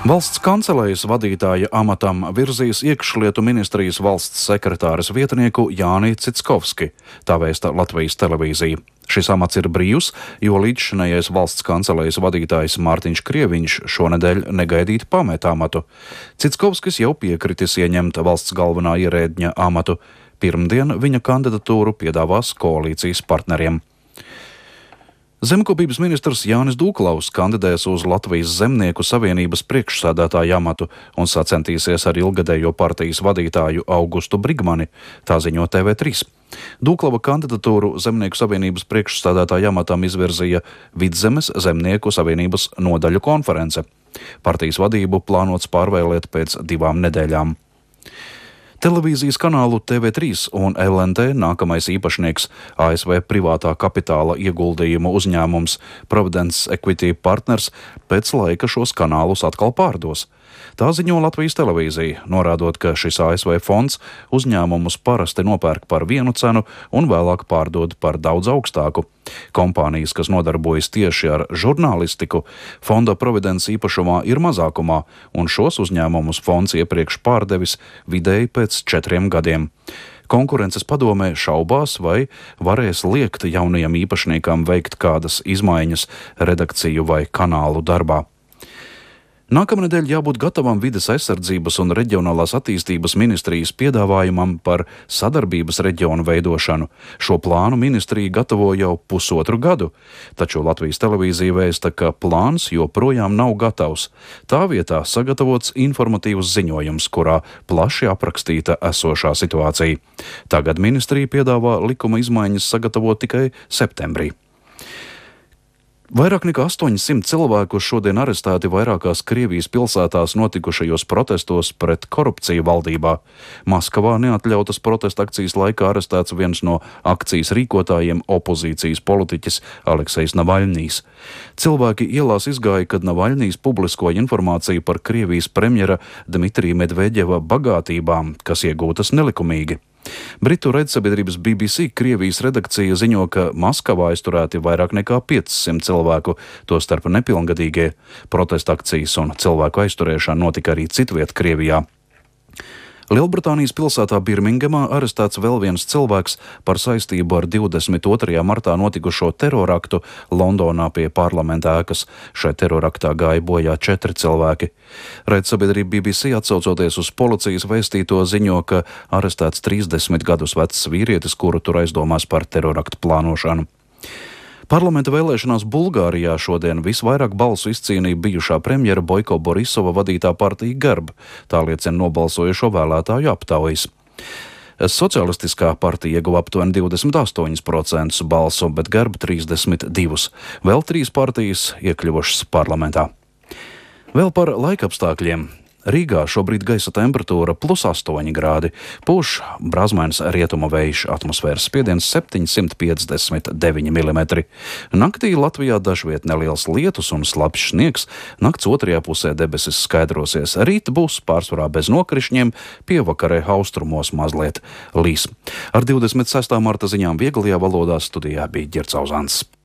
Valsts kancelējas vadītāja amatam virzīs iekšlietu ministrijas valsts sekretāres vietnieku Jāni Citskovski, tā vēsta Latvijas televīzija. Šis amats ir brīvs, jo līdzšinējais valsts kancelējas vadītājs Mārtiņš Krieviņš šonedēļ negaidīti pamet amatu. Citskovskis jau piekritis ieņemt valsts galvenā ierēdņa amatu. Pirmdien viņa kandidatūru piedāvās koalīcijas partneriem. Zemkopības ministrs Jānis Dūklaus kandidēs uz Latvijas Zemnieku savienības priekšsēdētāja amatu un sacentīsies ar ilgadējo partijas vadītāju Augustu Brigmani, tā ziņo TV3. Dūklava kandidatūru Zemnieku savienības priekšsēdētāja amatam izvirzīja Vidzemes Zemnieku savienības nodaļu konference. Partijas vadību plānots pārvēlēt pēc 2 nedēļām. Televīzijas kanālu TV3 un LNT nākamais īpašnieks ASV privātā kapitāla ieguldījumu uzņēmums Providence Equity Partners pēc laika šos kanālus atkal pārdos. Tā ziņo Latvijas televīzija, norādot, ka šis ASV fonds uzņēmumus parasti nopērk par vienu cenu un vēlāk pārdod par daudz augstāku. Kompānijas, kas nodarbojas tieši ar žurnālistiku, fonda Providence īpašumā ir mazākumā, un šos uzņēmumus fonds iepriekš pārdevis vidēji pēc 4 gadiem. Konkurences padomē šaubās, vai varēs liekt jaunajiem īpašniekam veikt kādas izmaiņas redakciju vai kanālu darbā. Nākamnedēļ jābūt gatavam vides aizsardzības un reģionālās attīstības ministrijas piedāvājumam par sadarbības reģionu veidošanu. Šo plānu ministrija gatavo jau 1,5 gadu, taču Latvijas televīzija vēsta, ka plāns joprojām nav gatavs. Tā vietā sagatavots informatīvs ziņojums, kurā plaši aprakstīta esošā situācija. Tagad ministrija piedāvā likuma izmaiņas sagatavot tikai septembrī. Vairāk nekā 800 cilvēku šodien arestēti vairākās Krievijas pilsētās notikušajos protestos pret korupciju valdībā. Maskavā neatļautas protesta akcijas laikā arestēts viens no akcijas rīkotājiem opozīcijas politiķis Aleksejs Navaļņijs. Cilvēki ielās izgāja, kad Navaļņijs publiskoja informāciju par Krievijas premjera Dmitrija Medveģeva bagātībām, kas iegūtas nelikumīgi. Britu raidsabiedrības BBC Krievijas redakcija ziņo, ka Maskavā aizturēti vairāk nekā 500 cilvēku, tostarp nepilngadīgie. Protesta akcijas un cilvēku aizturēšana notika arī citviet Krievijā. Lielbritānijas pilsētā Birmingemā arestēts vēl viens cilvēks par saistību ar 22. martā notikušo teroraktu Londonā pie parlamenta ēkas. Šai teroraktā gāja bojā 4 cilvēki. Raidsabiedrība BBC atsaucoties uz policijas vēstīto ziņo, ka arestēts 30 gadus vecs vīrietis, kuru tur aizdomās par teroraktu plānošanu. Parlamenta vēlēšanās Bulgārijā šodien visvairāk balsu izcīnīja bijušā premjera Boiko Borisova vadītā partija Garb, tā liecina nobalsojušo vēlētāju aptaujas. Socialistiskā partija ieguva aptuveni 28% balsu, bet Garb 32%. Vēl 3 partijas iekļuvušas parlamentā. Vēl par laikapstākļiem. Rīgā šobrīd gaisa temperatūra +8 grādi, pūš brāzmains rietumu vējš, atmosfēras spiediens 759 mm. Naktī Latvijā dažviet neliels lietus un slapjš sniegs, nakts otrajā pusē debesis skaidrosies, rīt būs pārsvarā bez nokrišņiem, pievakarē austrumos mazliet līs. Ar 26. marta ziņām vieglajā valodā studijā bija Ģercauzāns.